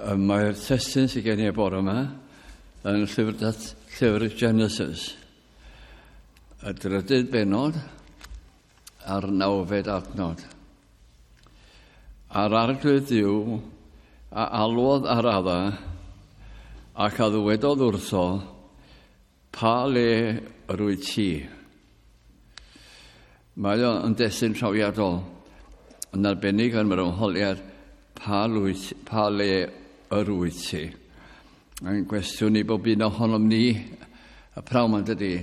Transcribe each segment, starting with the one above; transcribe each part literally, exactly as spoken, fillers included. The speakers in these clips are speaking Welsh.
Mae'r testun sydd gen i y bore yma yn llyfr, dat, llyfr Genesis. Y drydydd benod a'r nawfed adnod. A'r arglwydd Dduw a alwodd ar Adda ac a ddywedodd wrtho, pa le yr wyt ti? Mae o'n destun trawiadol, yn arbennig yn yr ymholiad, pa, lwyt, pa le yr wyt ti? Mae'n gwestiwn i bob un ohonom ni, y prawn ma'n dydy,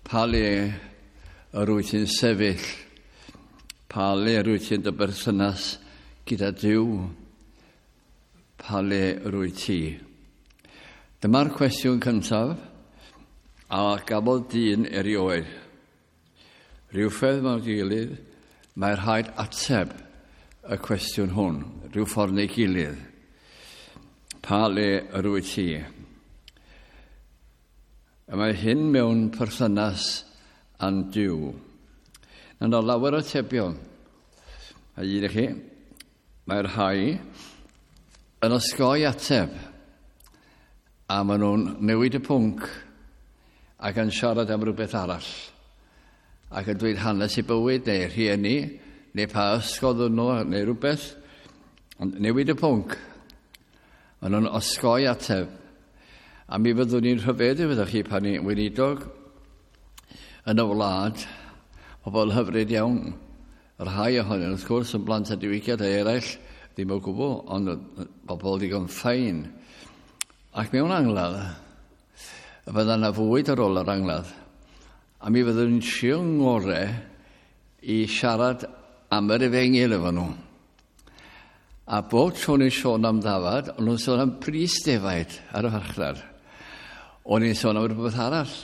pa le yr wyt ti'n sefyll? Pa le yr wyt ti'n dy berthynas gyda Duw? Pa le yr wyt ti? Dyma'r cwestiwn cyntaf a gafodd dyn erioed. Rhywffordd mewn gilydd, mae rhaid ateb y cwestiwn hwn, rhyw ffordd neu gilydd. Pa le yr wyt ti? Y mae hyn mewn perthynas â'n Duw. Yna lawer o atebion. A un i chi, mae'r rhai yn osgoi ateb a maen nhw'n newid y pwnc ac yn siarad am rhywbeth arall ac yn dweud hanes i bywyd neu rhieni neu pa ysgol ddyn nhw neu rhywbeth, ond newid y pwnc. Maen nhw'n osgoi ateb. A mi fyddwn ni'n rhyfeddu fyddwch chi pan ni'n weinidog yn y wlad, pobl hyfryd iawn. Y rhai ohonyn wrth gwrs yn blant a diwygiad a eraill, ddim o gwbl, ond bobl ddigon ffain. Ac mewn angladd, fydda yna fwyd ar ôl yr angladd. A mi fyddwn ni'n trio ngore i siarad am yr efengyl efo nhw. A bob tro ni'n sôn am ddafad, o'n nhw'n sôn am bris defaid ar y farchnad. O'n i'n sôn am rhywbeth arall.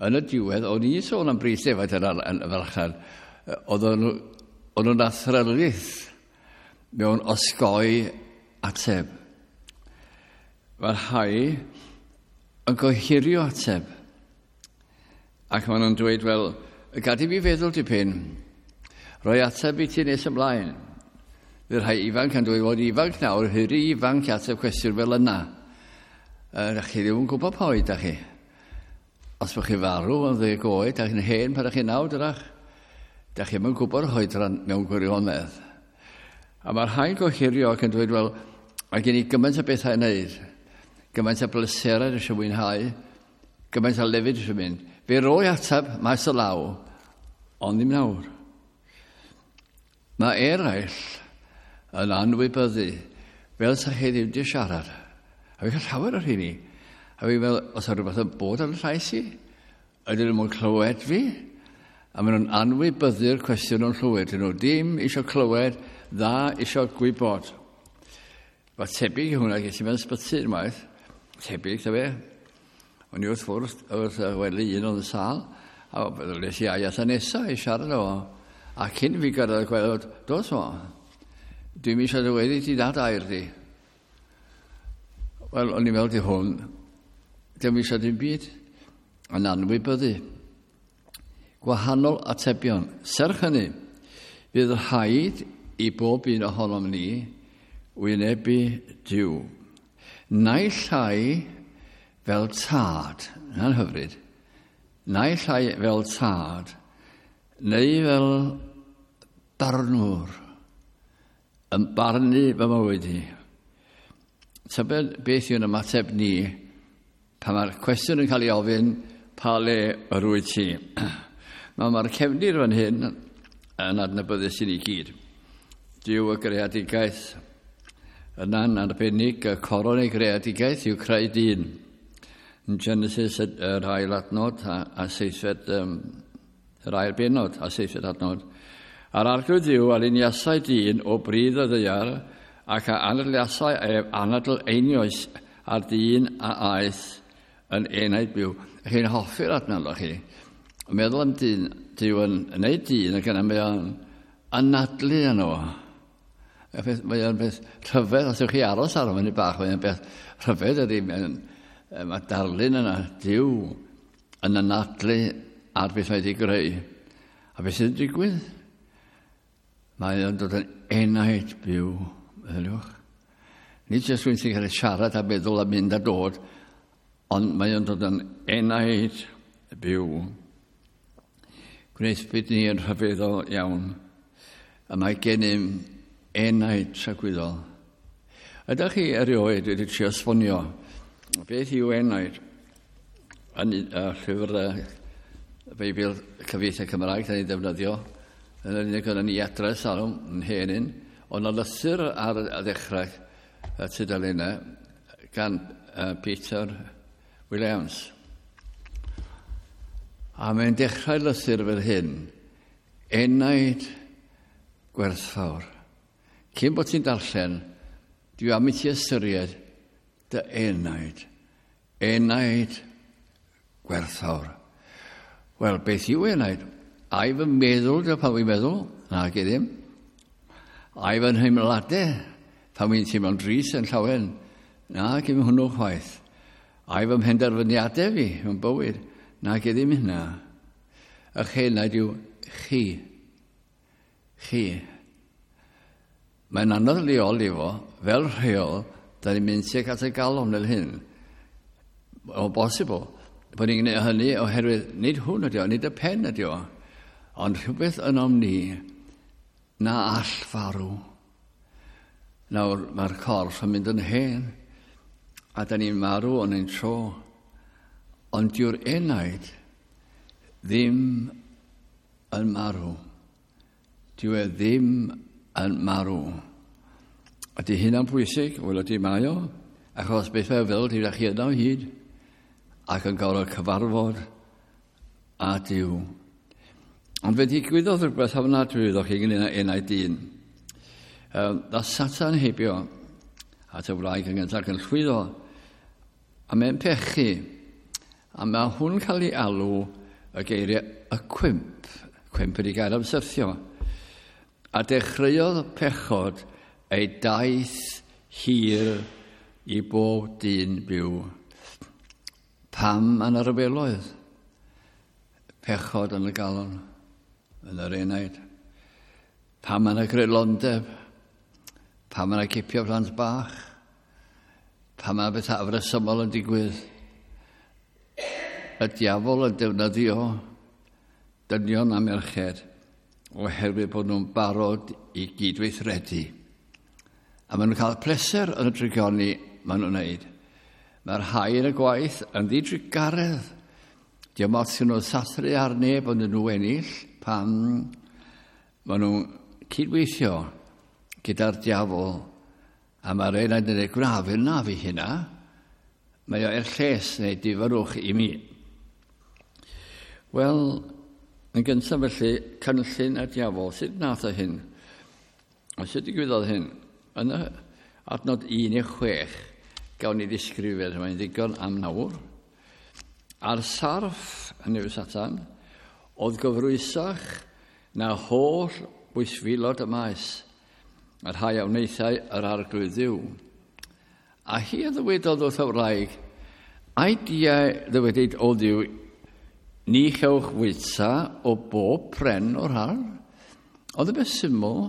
Yn y diwedd, o'n i'n sôn am bris defaid ar y farchnad. Oedd nhw'n athrylith mewn osgoi ateb. Mae'r rhai yn gohirio ateb. Ac maen nhw'n dweud, wel, gad i fi feddwl dipyn, rhoi ateb i ti nes ymlaen. Fydd rhai ifanc yn dweud fod ifanc nawr, hyri ifanc i ateb cwestiwn fel yna. Ydych chi ddim yn gwybod pa oed ydych chi. Os bych chi farw yn ddeg oed, ydych chi'n hen pan ydych chi nawr, dydych. Ydych chi ddim yn gwybod oedran mewn gwirionedd. A mae'r rhai'n gohirio ac yn dweud, wel, mae gen i gymaint o bethau i wneud, gymaint o bleserau eisiau mwynhau, gymaint o lefydd eisiau mynd. Fe roi ateb maes o law, ond ddim nawr. Mae eraill yn anwybyddu, fel sa chi ddim di siarad. A fi cael llawer o'r rheini. A fi fel, os yna rhywbeth yn bod ar y llais i, ydyn nhw'n clywed fi? A maen nhw'n anwybyddu'r cwestiwn o'n llywed. Dyn nhw ddim eisiau clywed, dda eisiau gwybod. Mae tebyg i hwnna, ges i mewn ysbyty unwaith. Tebyg, ta fe. O'n i wrth fwrdd, wrth wely un oedd yn sâl, a nes i ai allan nesaf i siarad o. A cyn fi gyrraedd y gweld, dos o, dwi'n eisiau dweud i ti ddad air di. Wel, o'n i'n meddwl di hwn, dwi'n eisiau dim byd, yn anwybyddu. Gwahanol atebion. Serch hynny, bydd rhaid i bob un ohonom ni wynebu Duw. Naill ai fel tad, yna'n hyfryd, naill ai fel tad, neu fel barnwr, yn barnu fy mywyd i. Tybed beth yw'n ymateb ni pan mae'r cwestiwn yn cael ei ofyn, pa le yr wyt ti? Mae'r ma cefndir fan hyn yn adnabyddus i ni gyd. Duw y greadigaeth. Yna'n arbennig, y coron ei greadigaeth yw creu dyn. Yn Genesis yr ail adnod a, a seithfed, um, yr ail benod a seithfed adnod. A'r arglwydd Dduw a luniasai dyn o bridd y ddaear ac a anadliasai ef anadl einioes a'r dyn a aeth yn enaid byw. Chi'n hoffi'r adnod chi. Meddwl am dyn, Duw yn gwneud dyn ac yna mae o'n anadlu arno fo. Mae o'n beth rhyfedd, os yw'ch chi aros ar hynny bach, mae o'n beth rhyfedd ydy. Mae, mae darlun yna, Duw yn anadlu ar beth mae wedi greu. A beth sydd yn digwydd? Mae o'n dod yn enaid byw, meddyliwch. Nid jyst rhywun sy'n cael ei siarad a meddwl a mynd a dod, ond mae o'n dod yn enaid byw. Gwnaethpwyd ni yn rhyfeddol iawn, a mae gennym enaid tragwyddol. Ydych chi erioed wedi trio esbonio beth yw enaid? Yn y llyfr y Beibl cyfieithiau Cymraeg, da ni'n ddefnyddio, yn yr unig yn ni adres arw, yn hen un, ond o lythyr ar y ddechrau y tudalennau gan uh, Peter Williams. A mae'n dechrau lythyr fel hyn, enaid gwerthfawr. Cyn bod ti'n darllen, dwi am i ti ystyried dy enaid. Enaid gwerthfawr. Wel, beth yw enaid? Ai fy meddwl, dy pan wy'n meddwl? Na, ge ddim. Ai fy nheimladau, pan wy'n teimlo'n dris yn llawen? Na, gym hwnnw chwaith. Ai fy mhenderfyniadau fi mewn bywyd? Na, ge ddim hynna. Ych enaid yw chi. Chi. Mae'n anodd leoli fo, fel rheol, da ni'n mynd tuag at y galon fel hyn. O bosibl, bod ni'n gwneud hynny oherwydd nid hwn ydi o, nid y pen ydi o, ond rhywbeth ynom ni na all farw. Nawr, mae'r corff yn mynd yn hen, a da ni'n marw yn ein tro. Ond dyw'r enaid ddim yn marw. Dyw e ddim yn marw. Ydy hynna'n bwysig? Wel, ydy mae o. Achos beth mae fel, dyw chi yna o hyd, ac yn gorfod cyfarfod â Duw. Ond fe ddigwyddodd rhywbeth ofnadwy iddo chi ynglyn â enaid dyn. Um, Ddaeth Satan heibio at y wraig yn gyntaf yn llwyddo, a mae'n pechu. A mae hwn cael ei alw y geiriau y cwymp. Cwymp ydy gair am syrthio. A dechreuodd pechod ei daith hir i bob dyn byw. Pam yn yr ryfeloedd? Pechod yn y galon, yn yr enaid. Pam yn y greulondeb? Pam yn y cipio plant bach? Pam yna bethau afresymol yn digwydd? Y diafol yn defnyddio dynion a merched oherwydd bod nhw'n barod i gydweithredu. A maen nhw'n cael pleser yn y drygoni maen nhw'n wneud. Mae'r rhai yn y gwaith yn ddidrugaredd. Diolch ots nhw'n sathru ar neb ond nhw ennill pan maen nhw'n cydweithio gyda'r diafol. A mae'r enaid yn dweud, gwna fi na fi hynna. Mae o er lles neu difyrrwch i mi. Wel, yn gyntaf felly, cynllun y diafol. Sut nath o hyn? A sut digwyddodd hyn? Yn y adnod un i chwech, gawn ni ddisgrifiad, mae'n ddigon am nawr. A'r sarff, yn yw Satan, oedd gyfrwysach na holl bwysfilod y maes, a'r rhai a wnaethai yr arglwydd Dduw. A hi a ddywedodd wrth y wraig, ai diau ddywedyd o Dduw, ni chewch fwyta o bob pren o'r ardd? Oedd y beth syml.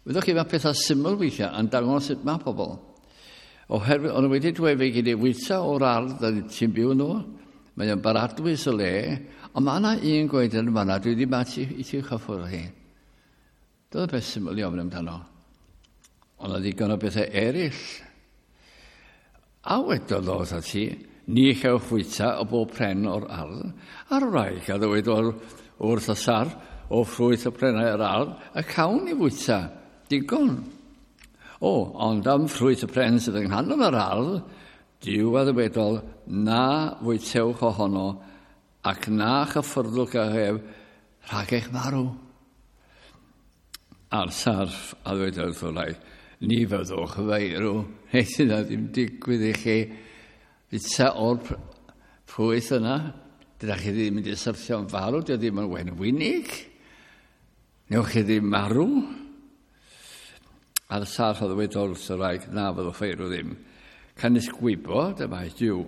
Wyddwch chi, mae pethau syml weithiau yn dangos sut mae pobl. Oherwydd, ond wedi dweud fe gyd i fwyta o'r ardd ti'n byw nhw, mae o'n baradwys y le, ond mae yna un goeden yn fanna, dwi ddim at i, i ti chyffwrdd hi. Dyna beth syml i ofyn amdano. Ond oedd ddigon o bethau eraill. A wedodd o wrtha ti, ni chewch fwyta o bob pren o'r ardd, a'r wraig a ddywedodd wrth y sar o ffrwyth y prennau yr ardd, y cawn i fwyta, digon. O, ond am ffrwyth y pren sydd yng nghanol yr ardd, Duw a ddywedodd, na fwytewch ohono, ac na chyffyrddwch ag ef rhag eich marw. A'r sarff a ddywedodd wrth y wraig, ni fyddwch feirw, neith yna ddim digwydd i chi fwyta o'r ffrwyth yna. Dydych chi ddim mynd i syrthio'n farw, dydy ddim yn wenwynig. Newch chi ddim marw. A'r sarff a ddywedodd wrth y wraig, na fyddwch feirw ddim. Canys gwybod y mae Duw.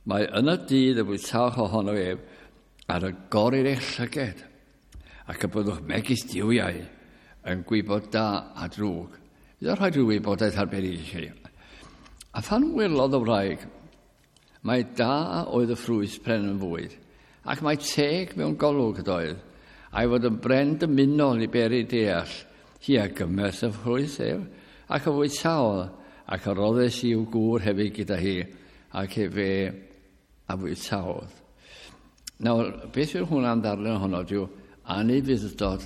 Mae yn y dydd y bwytawch ohono ef ar y gorir eich llyged, ac y byddwch megis duwiau yn gwybod da a drwg. Fydd o'n rhoi rhyw wybodaeth arbennig i chi. A phan welodd y wraig, mae da oedd y ffrwyth pren yn fwyd, ac mae teg mewn golwg ydoedd, a'i fod yn bren dymunol i beri deall, hi a gymerth y ffrwyth ef, ac a fwytaodd, ac a roddes i'w gŵr hefyd gyda hi, ac efe a fwytaodd. Nawr, beth yw hwnna'n ddarllen ohono, yw anufudd-dod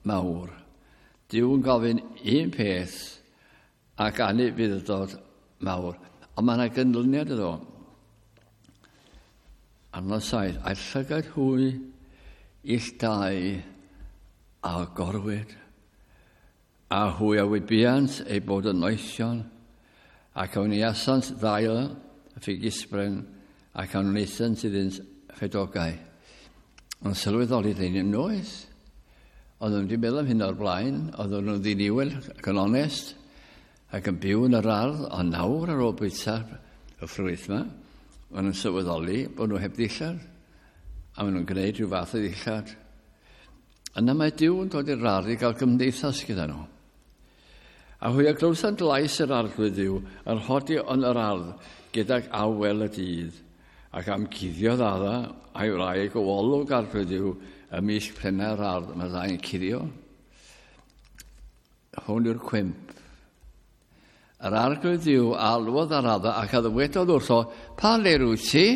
mawr. Duw yn gofyn un peth ac anufudd-dod mawr. Ond mae yna gynlyniad iddo. Adnod saith, a'i llygad hwy ill dau a agorwyd, a hwy a wybuant eu bod yn noethion, ac a wniasant ddail y ffigysbren, ac a wnaethant iddynt ffedogau. Ond sylweddoli ddyn nhw'n noeth. Oedden nhw wedi meddwl am hyn o'r blaen, oedden nhw'n ddiniwed ac yn onest, ac yn byw yn yr ardd, ond nawr ar ôl bwyta y ffrwyth yma, maen nhw'n sylweddoli bod nhw heb ddillad, a maen nhw'n gwneud rhyw fath o ddillad. Yna mae Duw yn dod i'r ardd i gael gymdeithas gyda nhw. A hwy a glywsant lais yr Arglwydd Dduw yn rhodi yn yr ardd gydag awel y dydd, ac ymguddiodd Adda a'i wraig o olwg Arglwydd Dduw ymysg prennau'r ardd. Mae'r ddau'n cuddio. Hwn yw'r cwymp. Yr Arglwydd Dduw a alwodd ar Adda ac a ddywedodd wrtho, pa le rwyt ti?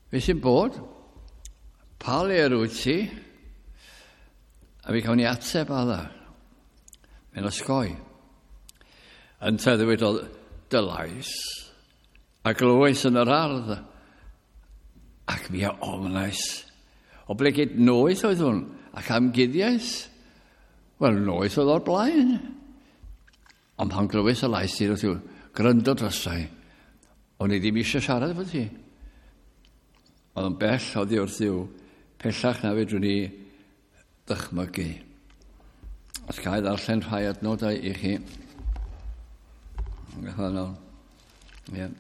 Be sy'n bod? Pa le rwyt ti? A fi cawn ni ateb Adda. Mae'n osgoi. Yntau ddywedodd, dy lais, a glywais yn yr ardd, ac mi a ofnais. Oblegid noeth oeddwn, ac ymguddiais. Wel, noeth oedd o'r blaen. Ond pan glywais y lais di, wrth gryndo drostai, o'n i ddim eisiau siarad efo ti. Oedd yn bell oddi wrth Dduw, pellach na fedrwn ni ddychmygu. Os ga i ddarllen rhai adnodau i chi. Yeah.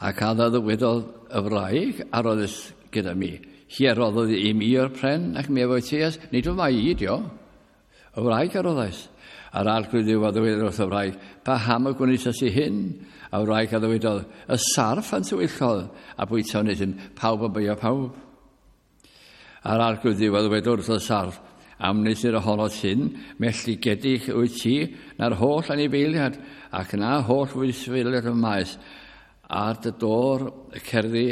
Ac Adda ddywedodd y wraig a roddes gyda mi. Hi a roddodd i mi o'r pren ac mi a fwyteais. Nid o mai i dio. Y wraig a roddais. A'r Arglwydd Dduw a ddywedodd wrth y wraig, paham y gwnaethast ti hyn? A wraig a ddywedodd, y sarff a'n tywyllodd, a bwyta wnaethum, pawb yn beio pawb. A'r Arglwydd Dduw a ddywedodd wrth y sarff, am wneuthur ohonot hyn, melltigedig wyt ti, na'r holl anifeiliad, ac na holl fwystfeiliad y maes, ar dy dôr y cerddi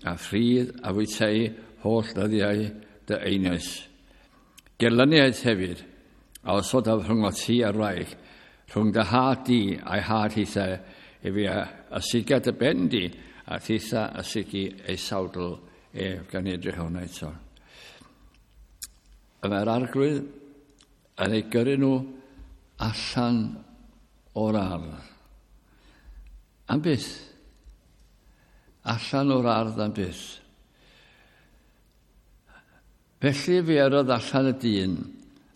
a phridd a fwytei holl ddyddiau dy einioes. Gelyniaeth hefyd, a osodaf rhwng ti a'r wraig, rhwng dy had di a'i had hithau, efe a ysiga dy ben di, a thitha ysigi ei sawdl ef, gan edrych hwnna eto. Y mae'r Arglwydd yn ei gyrru nhw allan o'r ardd. Am byth. Allan o'r ardd am byth. Felly fe yrrodd allan y dyn,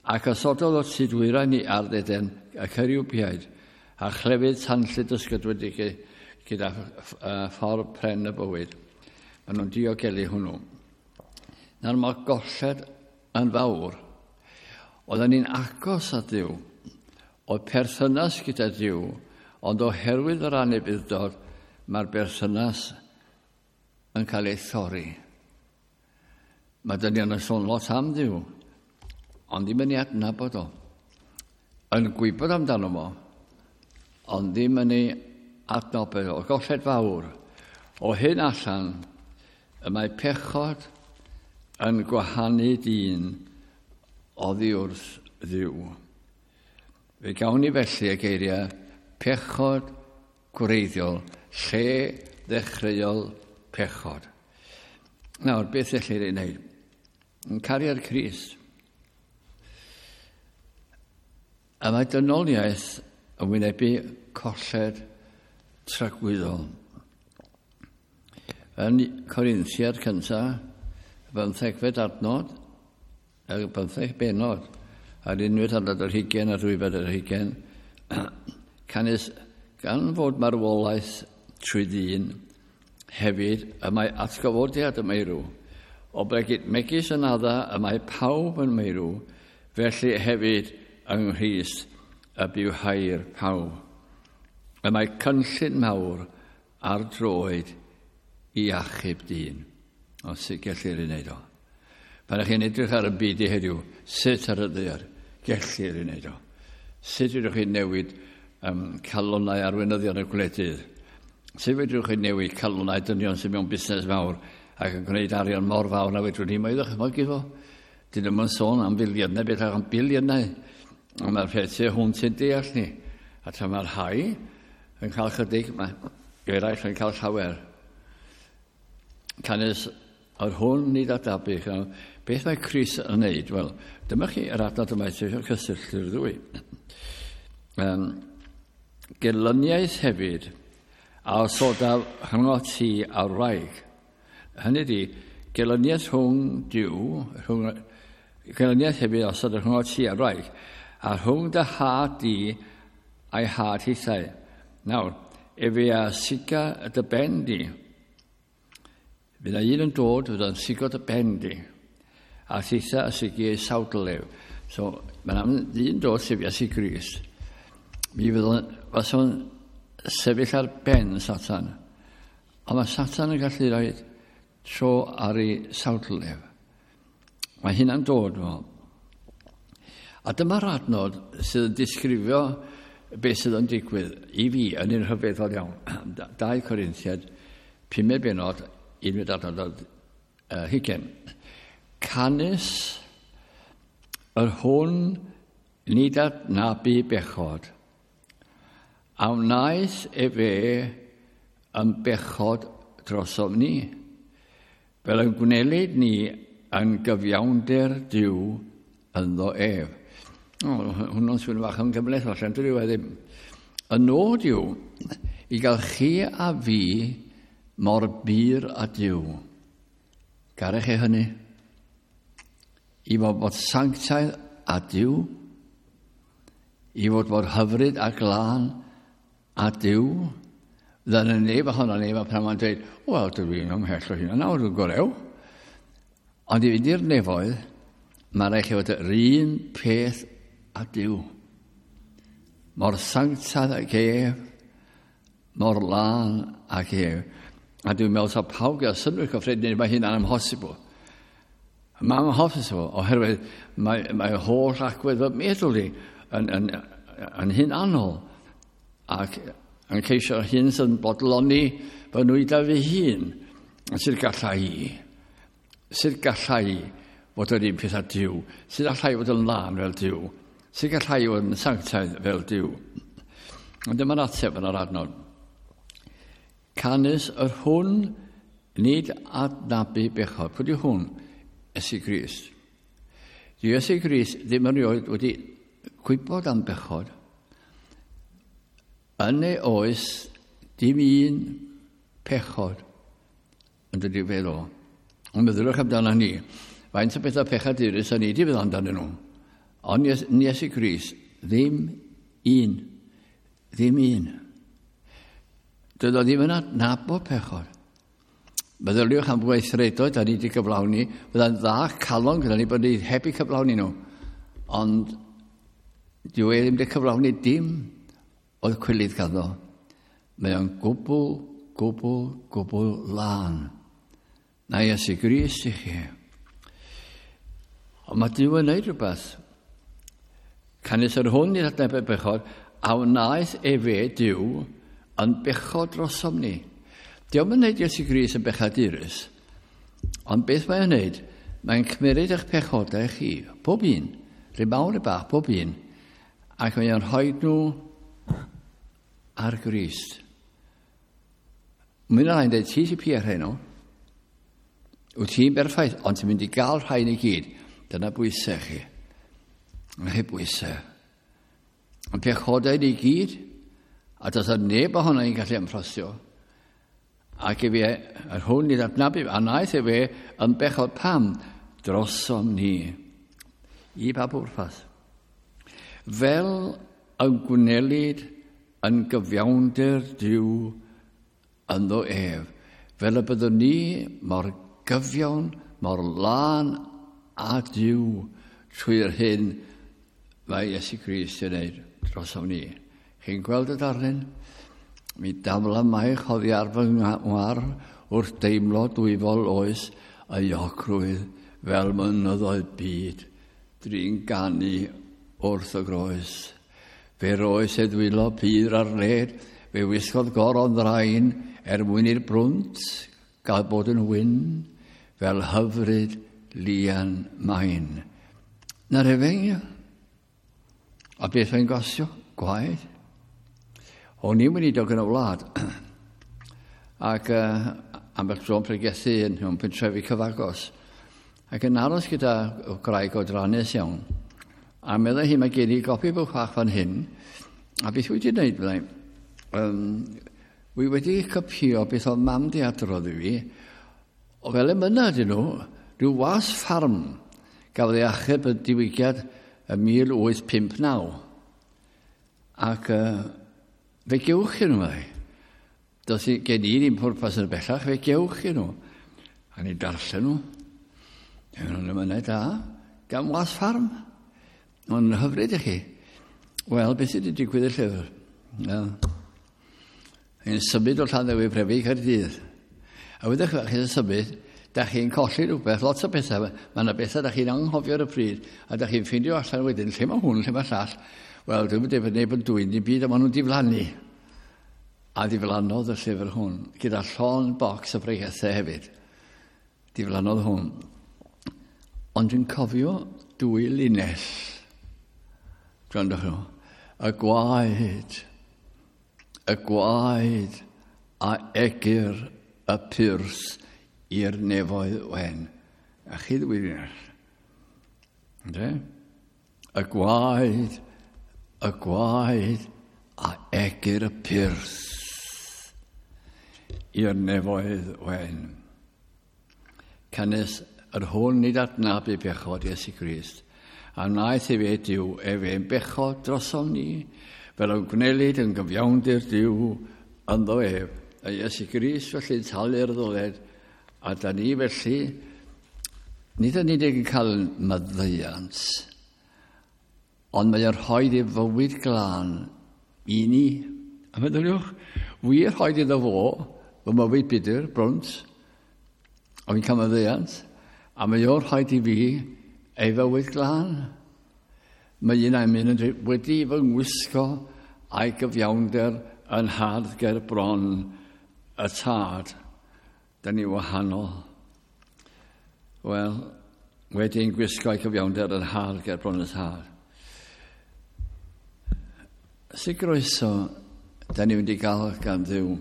ac osododd o'r tu dwyrain i ardd Eden y ceriwbiaid, a chlefyd tanllyd ysgydwyd gyda ffordd pren y bywyd. Maen nhw'n diogelu hwnnw. Nawr mae golled yn fawr. Oedden ni'n agos at Dduw, oedd perthynas gyda Duw, ond oherwydd yr anufudd-dod, mae'r berthynas yn cael ei thorri. Mae dynion yn sôn lot am Dduw, ond ddim yn ei adnabod o. Yn gwybod amdano fo, ond ddim yn ei adnabod o. Golled fawr. O hyn allan, y mae pechod yn gwahanu dyn oddi wrth Dduw. Fe gawn ni felly y geiriau pechod gwreiddiol, lle ddechreuol pechod. Nawr, beth ellir ei wneud? Yn cariad Crist. A mae dynoliaeth yn wynebu colled tragwyddol. Yn Corinthiad cyntaf, y bymthegfed adnod, y bymtheg benod, a'r unfed adnod yr hugain a'r dwyfed yr hugain, canys gan fod marwolaeth trwy ddyn, hefyd y mae atgyfodiad y meirw. Oblegid megis yn Adda y mae pawb yn meirw, felly hefyd yng Nghrist y bywhair pawb. Y mae cynllun mawr ar droed i achub dyn. Ond sut gellir ei wneud o? Pan ydych chi'n edrych ar y byd i heddiw, sut ar y ddaear gellir ei wneud o? Sut ydych chi'n newid um, calonnau arweinyddion y gwledydd? Sut fedrwch chi newid calonnau dynion sydd mewn busnes mawr ac yn gwneud arian mor fawr na fedrwn ni mo'i ddychmygu fo? Dyn nhw'n sôn am filiynau, beth am biliynau. Ond mae'r peth tu hwnt i'n deall ni. A tra mae'r rhai yn cael chydig, mae eraill yn cael llawer. Canys yr hwn nid adnabu. Beth mae Crist yn wneud? Wel, dyma chi yr adnod yma eisiau cysylltu'r ddwy. Um, gelyniaeth hefyd a osodaf rhyngot ti a'r wraig. Hynny ydi, gelyniaeth rhwng Duw, rhwng, gelyniaeth hefyd osod rhyngot ti a'r wraig, a rhwng dy had di a'i had hithau. Nawr, efe a siga dy ben di. Fydd 'na un yn dod, fydd o'n sigo dy ben di. A thitha a sigi ei sawdl ef. So, mae'n am un dod sef Iesu Grist. Mi fydd o'n, fas o'n sefyll ar ben Satan. Ond mae Satan yn gallu rhoi tro ar ei sawdl ef. Mae hynna'n dod, fel. A dyma'r adnod sydd yn disgrifio beth sydd yn digwydd i fi yn un rhyfeddol iawn. Dau Corinthiad, pumed benod, unfed adnod uh, hugain. Canys yr hwn nid adnabu bechod, a wnaeth efe yn bechod drosom ni, fel yn gwnelid ni yn gyfiawnder Duw ynddo ef. O, hwnnw'n swnio fach yn gymhleth falle, ond dyw e ddim. Y nod yw i gael chi a fi mor bur a Duw. Garech chi hynny? I fod bod sanctaidd a Duw, i fod bod hyfryd a glân a Duw. Ddyna neb ohono ni, mae pan mae'n dweud, wel, dwi'n ymhell o hynna nawr, dwi'n gorew. Ond i fynd i'r nefoedd, mae rhaid chi fod yr un peth a Duw. Mor sanctaidd ag ef, mor lân ag ef. A dwi'n meddwl sa pawb gael synnwyr cyffredin, mae hynna'n amhosibl. Mae'n amhosibl oherwydd mae, mae holl agwedd fy meddwl i yn, yn, yn hunanol ac yn ceisio hyn sy'n bodloni fy nwydau fy hun. Sut gallai i? Sut gallai i fod yr un peth â Duw? Sut allai fod yn lân fel Duw? Sut gallai fod yn sanctaidd fel Duw? Ond dyma'r ateb yn yr adnod. Canys yr hwn nid adnabu bechod. Pwy di hwn? Iesu Grist. Di Iesu Grist ddim erioed wedi gwybod am bechod. Yn ei oes, dim un pechod yn dod i'w feddwl. Ond meddyliwch amdano ni. Faint o bethau pechadurus a ni di feddwl amdanyn nhw. Ond Iesu Grist, ddim un. Ddim un. Doedd o ddim yn adnabod pechod. Meddyliwch am weithredoedd da ni wedi cyflawni. Fydda'n dda calon gyda ni bod ni heb eu cyflawni nhw. Ond dyw e ddim wedi cyflawni dim oedd cwilydd ganddo. Mae o'n gwbl, gwbl, gwbl lân. Na Iesu Grist i chi. Ond mae Duw yn gwneud rhywbeth. Canys yr hwn nid adnabod bechod, a wnaeth efe Duw yn bechod drosom ni. Dio'm yn gwneud Iesu Grist yn bechadurus, ond beth mae'n gwneud? Mae'n cymryd eich pechodau chi, pob un, rhai mawr neu bach, pob un, ac mae'n rhoi nhw ar Grist. Mae'n rhaid dweud, ti sy'n piau rhain nhw. Wyt ti'n berffaith, ond ti'n mynd i gael rhain i gyd. Dyna bwysau chi. Dyna chi bwysau. Ond pechodau ni gyd, a does yna neb ohono ni'n gallu ymffrostio. Ac efe, yr hwn nid adnabu, a wnaeth efe yn bechod pam drosom ni. I ba bwrpas? Fel y gwnelid yn gyfiawnder Duw ynddo ef, fel y byddwn ni mor gyfiawn, mor lân a Duw trwy'r hyn mae Iesu Grist yn wneud. drosom ni. Chi'n gweld y darlun? Mi dafla maich oddi ar fy ngwar wrth deimlo dwyfol oes a iocrwydd fel mynyddoedd byd, drin ganu wrth y groes. Fe roes e ddwylo pur ar led, fe wisgodd goron ddrain er mwyn i'r brwnt gael bod yn wyn, fel hyfryd lian main. Na'r efengyl. A beth mae'n gostio? Gwaed. O'n i'n weinidog yn y wlad. Ac uh, ambell dro'n pregethu yn mewn pentrefi cyfagos. Ac yn aros gyda gwraig oedrannus iawn. A meddai hi, mae gen i gopi bwch fach fan hyn. A beth wedi wneud, meddai? Um, wi wedi copio beth oedd mam di adrodd i fi. O fel emyna dyn nhw, rhyw was ffarm gafodd ei achub y diwygiad y mil wyth pump naw. Ac uh, fe gewch chi nhw, meddai. Does gen i ddim pwrpas yn y bellach, fe gewch chi nhw. A ni darllen nhw. Dyn nhw'n emynau da, gan was ffarm. Mae'n hyfryd i chi. Wel, beth sydd wedi digwydd i'r llyfr? Ja. Yn symud o Llanddewi Brefi i Caerdydd. A wyddoch chi, chi'n symud, da chi'n colli rhywbeth, lot o bethau. Mae yna bethau da chi'n anghofio ar y pryd, a da chi'n ffeindio allan wedyn, lle mae hwn, lle mae llall. Wel, dwi'n mynd bod neb yn dwyn dim byd, a maen nhw'n diflannu. A diflannodd y llyfr hwn, gyda llon bocs o bregethau hefyd. Diflannodd hwn. Ond dwi'n cofio dwy linell. Gwrandwch nhw. Y gwaed, y gwaed a egyr y pwrs i'r nefoedd wen. A chi ddwy linell. Ynde? Y gwaed, y gwaed a egyr y pwrs i'r nefoedd wen. Canys yr hwn nid adnabu bechod Iesu Grist, a wnaeth efe Duw efe yn bechod drosom ni, fel yn gwnelid yn gyfiawnder Duw ynddo ef. A Iesu Grist felly'n talu'r ddyled, a da ni felly, nid yn unig yn cael maddeuant, ond mae o'n rhoi ei fywyd glân i ni. A meddyliwch, wir rhoi iddo fo, fy mywyd budr, brwnt, ond fi'n cael maddeuant, a mae o'n rhoi i fi ei fywyd glân. Mae un a'i mynd yn dweud, wedi fy ngwisgo a'i gyfiawnder yn hardd ger bron y tad. Da ni wahanol. Wel, wedi'n gwisgo a'i gyfiawnder yn hardd ger bron y tad. Sut groeso da ni'n mynd i gael gan Dduw?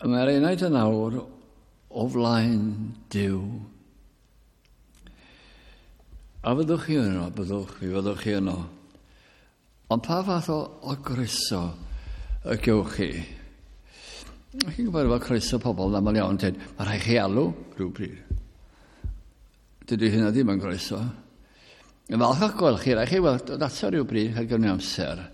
Mae'r enaid yn awr o flaen Duw. A fyddwch chi yno, byddwch, fi fyddwch chi yno. Ond pa fath o, o groeso y gewch chi? Chi'n gwybod efo croeso pobl yn aml iawn, dweud, mae rhaid chi alw rhywbryd. Dydy hynna ddim yn groeso. Yn falch o'ch gweld chi, rhaid chi weld dod ato rhywbryd, cael gynnu amser.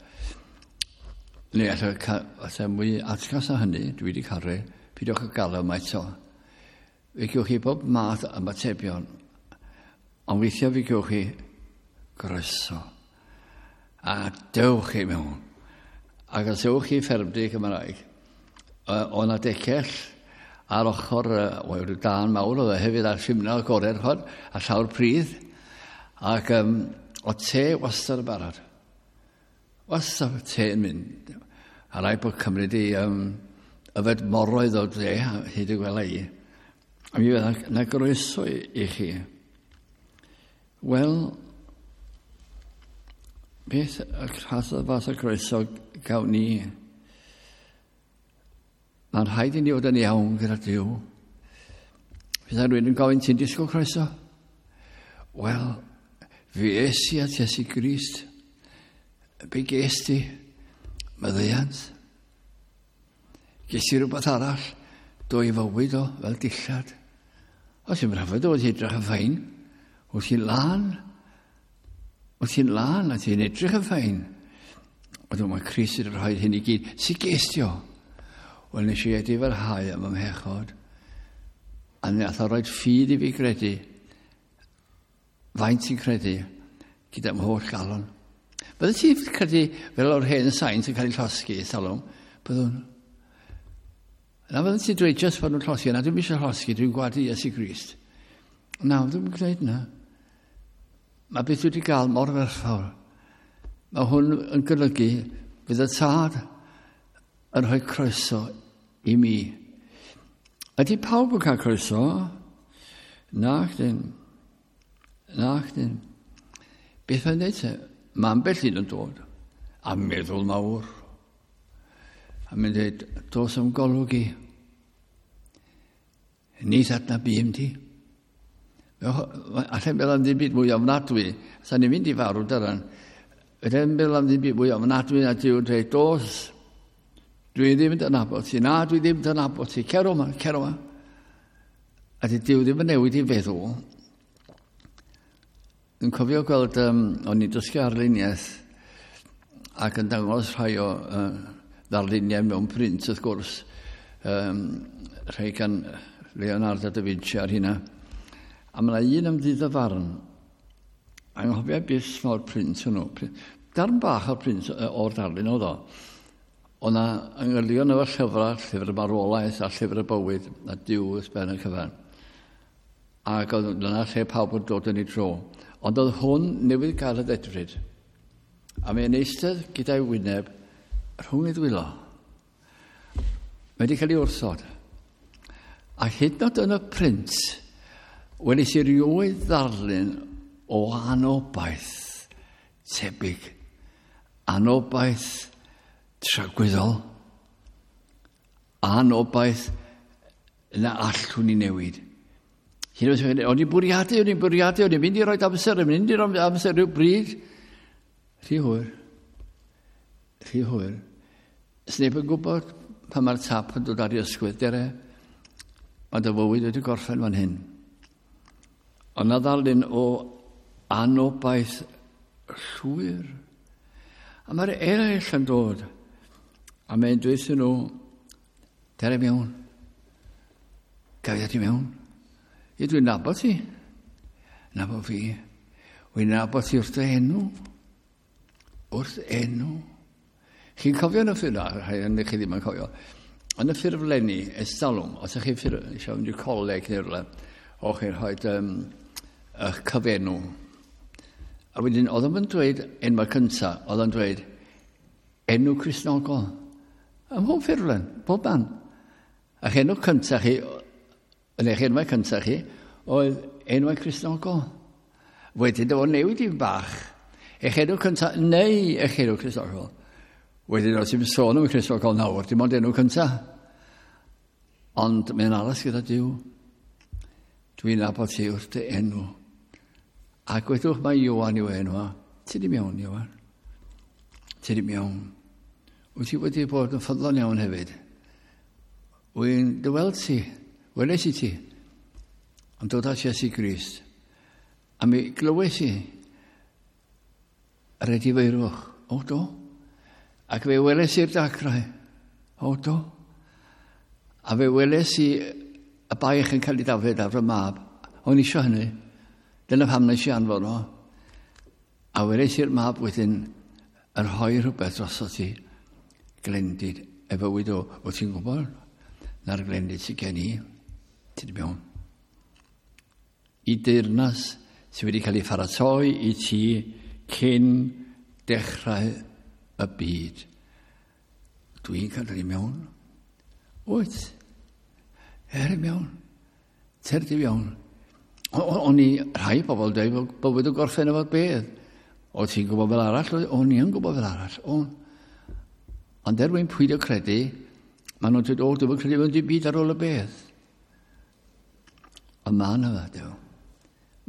Neu allai cael mwy atgas o hynny, dwi wedi caru, peidiwch â galw yma eto. Fe gewch chi bob math o ymatebion, ond weithiau fe gewch chi groeso. A dewch chi mewn. Ac os ewch chi ffermdy Cymraeg, o na decell ar ochr, o rhyw dan mawr oedd e hefyd ar simna agored, chod, a llawr pridd. Ac um, o te wastad yn barod. Wastad te yn mynd. A rhaid bod Cymru di um, yfed moroedd o de, hyd y gwela i. A mi fydd na groeso i, i chi. Wel, beth y fath o groeso gawn ni? Mae'n rhaid i ni fod yn iawn gyda Duw. Fydd rhywun yn gofyn, ti'n disgwyl croeso? Wel, fi es i at Iesu Grist. Be ges ti? Maddeuant. Ges i rhywbeth arall? Do i fywyd o fel dillad. Os i'n rhyfedd o, ti'n edrych yn ffain. Wyt ti'n lân. Wyt ti'n lân a ti'n edrych yn ffain. Ond mae Crist wedi rhoi hyn i gyd. Sut ges ti o? Wel, nes i edifarhau am ymhechod. A nath o roed ffydd i fi gredu. Faint ti'n credu gyda'm holl galon. Bydde ti'n credu fel o'r hen saint yn cael ei llosgi, salwm? Byddwn. Na fydde ti'n dweud just bod nhw'n llosgi, na dwi'n eisiau llosgi, dwi'n gwadu Iesu Grist. Na, dwi'n gwneud na. Mae beth dwi wedi gael mor werthfawr. Mae hwn yn golygu fydd y tad yn rhoi croeso i mi. Ydy pawb yn cael croeso? Na, chdyn. Na, chdyn. Beth mae'n dweud te? Mae ambell un yn dod a meddwl mawr. A mae'n dweud, dos am golwg i. Nis adnabûm di. Allai meddwl am ddim byd mwy ofnadwy. Sa ni'n mynd i farw dyran. Allai meddwl am ddim byd mwy ofnadwy na Duw yn dweud, dos, dwi ddim yn dy nabod ti. Na, dwi ddim yn dy nabod ti. Cer yma, cer yma. A di Duw ddim yn newid i feddwl. Dwi'n cofio gweld, um, o'n i'n dysgu arluniaeth ac yn dangos rhai o uh, ddarluniau mewn print, wrth gwrs, um, rhai gan Leonardo da Vinci ar hynna. A mae yna un am ddydd y farn. Anghofio beth mawr print hwnnw. Darn bach o'r print o'r darlun oedd o. Oedd yna angylion efo llyfrau, llyfr y marwolaeth a llyfr y bywyd, a Duw wrth ben y cyfan. Ac oedd yna lle pawb yn dod yn ei dro. Ond oedd hwn newydd gael y ddedfryd. A mae'n eistedd gyda'i wyneb rhwng ei ddwylo. Mae wedi cael ei wrthod. A hyd yn oed yn y print, welis i rioed ddarlun o anobaith tebyg. Anobaith tragwyddol. Anobaith na allwn ni newid. O'n i'n bwriadu, o'n i'n bwriadu, o'n i'n mynd i roi amser, o'n i'n mynd i roi amser rhyw bryd. Rhy hwyr. Rhy hwyr. Sneb yn gwybod pan mae'r tap yn dod ar ei ysgwydd, dere. Mae dy fywyd wedi gorffen fan hyn. Ond na ddarlun o anobaith llwyr. A mae'r eraill yn dod. A mae'n dweud nhw, dere mewn. Gael i mewn. Ie, dwi'n nabod ti. Nabod fi. Wy'n nabod ti wrth dy enw. Wrth enw. Chi'n cofio yn y ffurf, rhai yn chi ddim yn cofio, yn y ffurflenni, estalwm, os ydych chi'n eisiau mynd i'r coleg neu rhywle, o'ch chi'n rhoi um, eich cyfenw. A wedyn, oedd o'n dweud enwau cyntaf, oedd o'n dweud enw Cristnogol. Ym mhob ffurflen, bob man. A'ch enw cyntaf chi, yn eich enwau cyntaf chi, oedd enwau Cristnogol. Wedyn, oedd o'n newid i'n bach. Eich enw cyntaf neu eich enw Cristnogol. Wedyn, os i'n sôn am y Cristnogol nawr, dim ond enw cyntaf. Ond mae'n aros gyda Duw. Dwi'n nabod ti wrth dy enw. A gwedwch mae Ioan yw enw. Ti di mewn, Ioan. Ti di mewn. Wyt ti wedi bod yn ffyddlon iawn hefyd. Wy'n dy weld ti. Weles i ti. Ond dod at Iesu Grist. A mi glywes i yr edifeirwch. O, do. Ac fe weles i'r dagrau. O, do. A fe weles i y baich yn cael ei dafled ar fy mab. O'n isio hynny. Dyna pam nes i anfon o. A weles i'r mab wedyn yn rhoi rhywbeth drosodd ti. Glendid e fywyd o. O ti'n gwybod? Na'r glendid sydd gen i. Ti di mewn. I deyrnas sydd wedi cael ei pharatoi i ti cyn dechrau y byd. Dwi'n cael ei mewn. Wyt. Er i mewn. Ter di mewn. O'n i, rhai bobl dweud bywyd yn gorffen efo'r bedd. O ti'n gwybod fel arall? O'n i yn gwybod fel arall. O'n. Ond er mwyn pwydio credu, maen nhw'n dweud, o, dwi'n credu mewn dim byd ar ôl y bedd. Ond mae yna fe, Duw.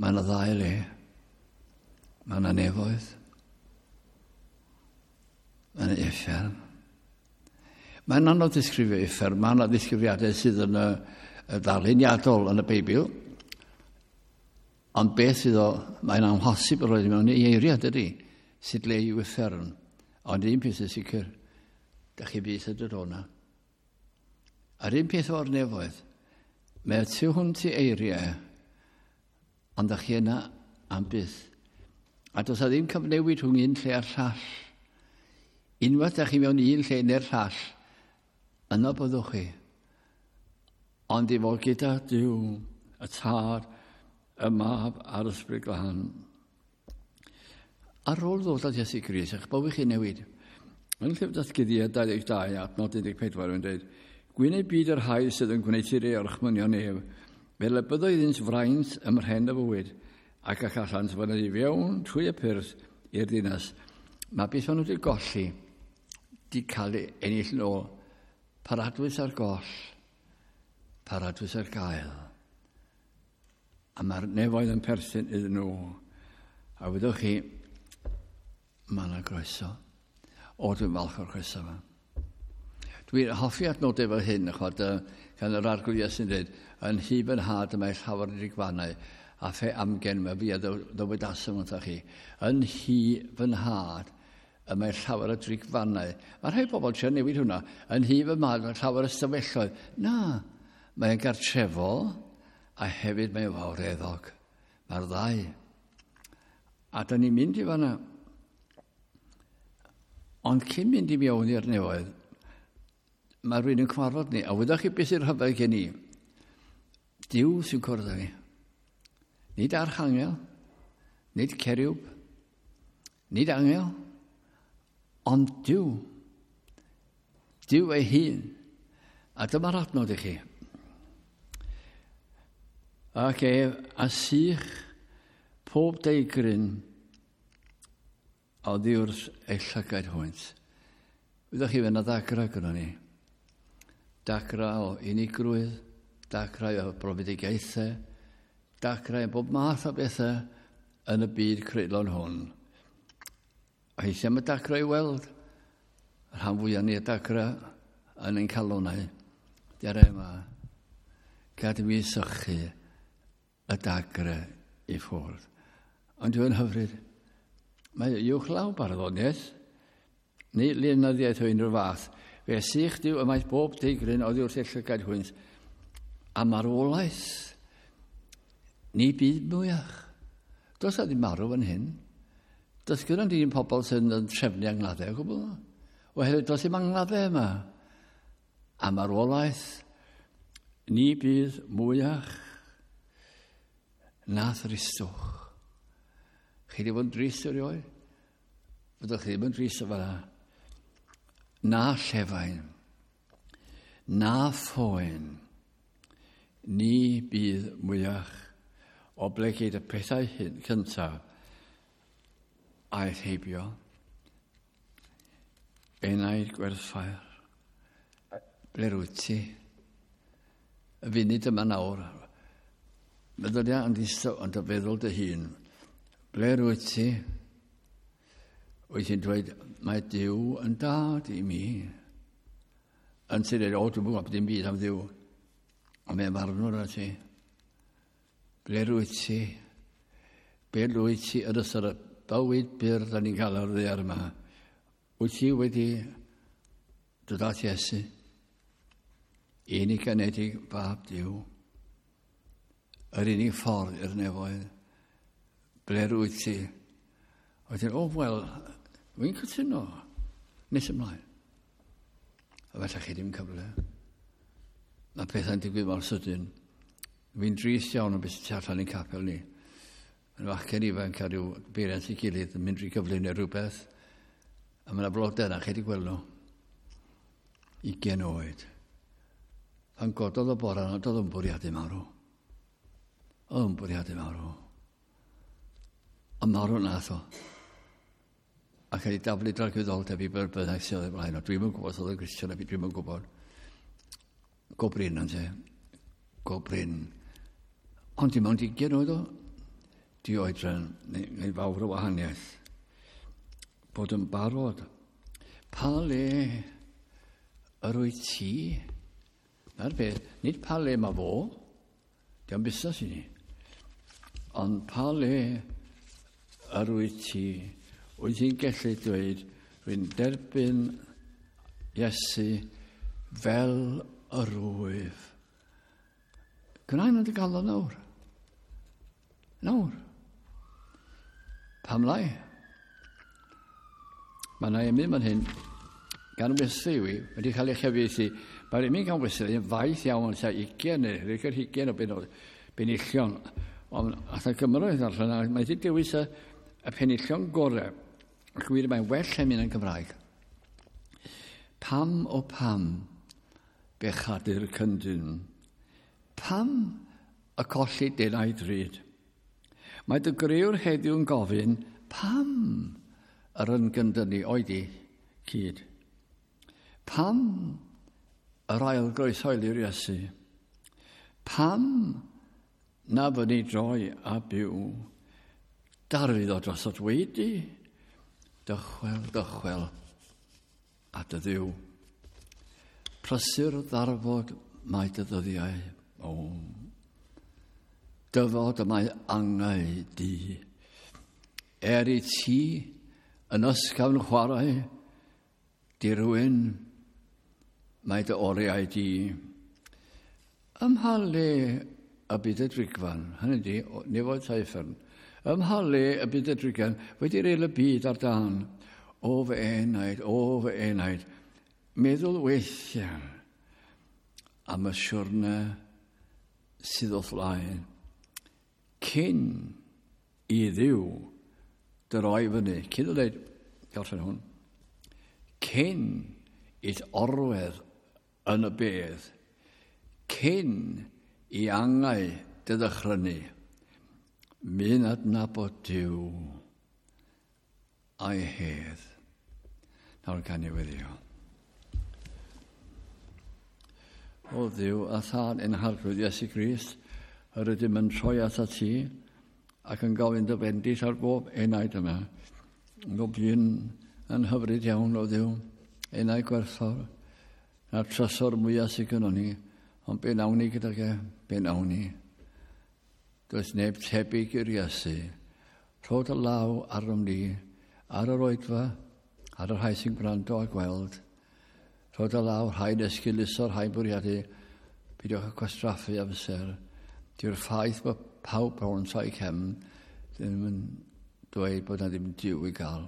Mae yna ddau le. Mae yna nefoedd. Mae yna uffern. Mae'n anodd disgrifio uffern. Mae yna ddisgrifiadau sydd yn y, y ddarluniadol yn y Beibl. Ond beth sydd o, mae'n amhosib roed mewn i eiriau, dydy, sut le yw uffern. Ond un peth yn sicr, da chi byth yn dod o'na. A'r un peth o'r nefoedd, mae tu hwnt i eiriau, ond da chi yna am byth. A does a ddim cyfnewid rhwng un lle a'r llall. Unwaith ydych chi mewn un lle neu'r llall, yno byddwch chi. Ond i fod gyda Duw, y Tad, y Mab a'r Ysbryd Glân. Ar ôl ddod at Iesu Grist, eich bywyd chi newid. Yn Llyfr Datguddiad dau ddeg dau, adnod un deg pedwar, yn dweud, "Gwyn eu byd yr rhai sydd yn gwneud ei orchmynion ef, fel y byddo iddynt fraint ym mhren y fywyd, ac ac allant fyned i fewn trwy y pyrth i'r ddinas." Mae beth maen nhw wedi golli, di cael ei ennill yn ôl. Paradwys ar goll, paradwys ar gael. A mae'r nefoedd yn perthyn iddyn nhw. A wyddoch chi, mae yna groeso. O, dwi'n falch o'r croeso yma. Dwi'n hoffi adnodau fel hyn, chwad, gan yr Arglwydd Iesu'n dweud, "Yn nhŷ fy Nhad y mae llawer o drigfannau, a phe amgen myfi a ddywedaswn wrthych chi. Yn nhŷ fy Nhad y mae llawer o drigfannau." Mae rhai bobl trio newid hwnna. "Yn nhŷ fy mad mae llawer o ystafelloedd." Na, mae'n gartrefol a hefyd mae'n fawreddog. Mae'r ddau. A da ni'n mynd i fanna. Ond cyn mynd i mewn i'r nefoedd, mae rhywun yn cyfarfod ni. A wyddoch chi beth sy'n rhyfedd gen i? Duw sy'n cwrdd â fi. Nid archangel, nid ceriwb, nid angel, ond Duw. Duw ei hun. A dyma'r adnod i chi. "Ac ef a sych pob deigryn oddi wrth eu llygaid hwynt." Wyddoch chi, fe na ddagra gyda ni. Dagra o unigrwydd, dagrau o brofedigaethau, dagrau o bob math o bethau yn y byd creulon hwn. A weithiau mae dagrau i weld. Y rhan fwyaf ni y dagrau yn ein calonau. Diar yma, gad i mi sychu y dagrau i ffwrdd. Ond dwi'n hyfryd. Mae uwchlaw barddoniaeth, neu lenyddiaeth o unrhyw fath. "Fe sych Duw ymaith bob deigryn oddi wrth eu llygaid hwynt. A marwolaeth, ni bydd mwyach." Does a ddim marw fan hyn. Does gyda ni pobl sydd yn trefnu angladdau o gwbl. Oherwydd does ddim angladdau yma. "A marwolaeth, ni bydd mwyach na thristwch." Chi wedi bod yn drist erioed? Byddwch chi ddim yn drist o fanna. "Na llefain, na phoen, ni bydd mwyach, oblegid y pethau hyn cyntaf aeth heibio." Enaid gwerthfawr, ble rwyt ti? Y funud yma nawr, meddylia yn ddistaw yn dy feddwl dy hun, ble rwyt ti? Wyt ti'n dweud, "Mae Duw yn dad i mi"? Yn ti'n dweud, "O, dwi'n gwybod dim byd am Dduw. Ond mae'n farnwr ar ti." Ble rwyt ti? Ble rwyt ti yn ystod y bywyd byr da ni'n cael ar ddaear yma? Wyt ti wedi dod at Iesu? Unig anedig Fab Duw. Yr unig ffordd i'r nefoedd. Ble rwyt ti? Wyt ti'n, "O, wel, wy'n cytuno. Nes ymlaen." A felly chi ddim cyfle. Mae pethau'n digwydd mor sydyn. Fi'n drist iawn o beth sy'n tu allan i'n capel ni. Yn fachgen ifanc ar ryw beiriant i gilydd yn mynd rhy gyflym neu rhywbeth. A mae yna blodau yna, chi wedi gweld nhw. Ugain oed. Pan gododd o bora yna, doedd o'n bwriadu marw. Oedd o'n bwriadu marw. Ond marw nath o. A cael ei daflu dragwyddoldeb i bynnag sydd o'i blaen o. Dwi'm yn gwybod os oedd o'n Gristion, dwi'm yn gwybod. Go brin, ynte. Go brin. Ond dim ond ugain oed o. Di oedran, neu, neu fawr o wahaniaeth. Bod yn barod. Pa le yr wyt ti? Na'r peth, nid pa le mae fo, diolch busnes i ni. Ond pa le yr wyt ti? Wyt ti'n gallu dweud, "Rwy'n derbyn Iesu fel yr wyf"? Gwna hynny'n dy galon nawr. Nawr. Pam lai? Mae yna emyn fan hyn gan Wesley yw i, wedi cael ei chyfieithu. Mae'r emyn gan Wesley yn faith iawn, tua ugain neu rhywbeth hugain o benillion. Ond ath y Gymro i ddarllen, a mae wedi dewis y, y penillion gorau. Ac wir, mae'n well emyn yn Gymraeg. Pam o pam bechadur cyndyn? Pam y colli denau drud? Mae dy grëwr heddiw'n gofyn, pam yr yn gyndynnu oedi cyd? Pam yr ail groeshoeli'r Iesu? Pam na fyny droi a byw? Darfydd o drosod wedi, dychwel, dychwel, a dy Dduw. Prysur ddarfod mae dy ddyddiau. O. Dyfod y mae angau di. Er i ti yn ysgafn chwarae, di rywun, mae dy oriau di. Ym mha le y byd y drigfan, hynny di, nefoedd ta uffern, ym mha le y byd y drigfan, wedi reil y byd ar dan, o fy enaid, o fy enaid, meddwl weithiau am y siwrne sydd o'th flaen, cyn i Dduw dy roi fyny, cyn o dweud, gorffen hwn, cyn i'th orwedd yn y bedd, cyn i angau dy ddychrynu, myn adnabod Duw a'i hedd. Nawr gan i weddio. O Dduw, a thân ein Harglwydd Iesu Grist, yr ydym yn troi atat ti ac yn gofyn dy bendith ar bob enaid yma. Bob un yn hyfryd iawn, o Dduw, enaid gwerthfawr, na'r trysor mwyaf sydd gynnon ni, ond be nawn ni gydag e, be nawn ni. Does neb tebyg i'r Iesu. Rho dy law arnom ni, ar yr oedfa, ar y rhai sy'n gwrando a gweld. Rho dy law, rhai'n esgeuluso, rhai'n bwriadu, peidiwch â gwastraffu amser. Dyw'r ffaith bod pawb bron troi cefn ddim yn dweud bod yna ddim Duw i gael.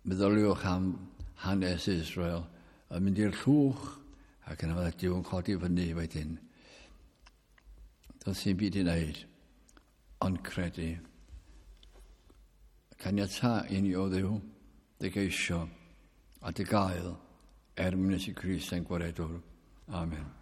Meddyliwch am hanes Israel yn mynd i'r llwch ac yna fydda Duw yn codi fyny wedyn. Does dim byd i wneud, ond credu. Caniatâ i ni o Dduw, dy geisio a dy gael er mwyn Iesu Grist ein Gwaredwr. Amen.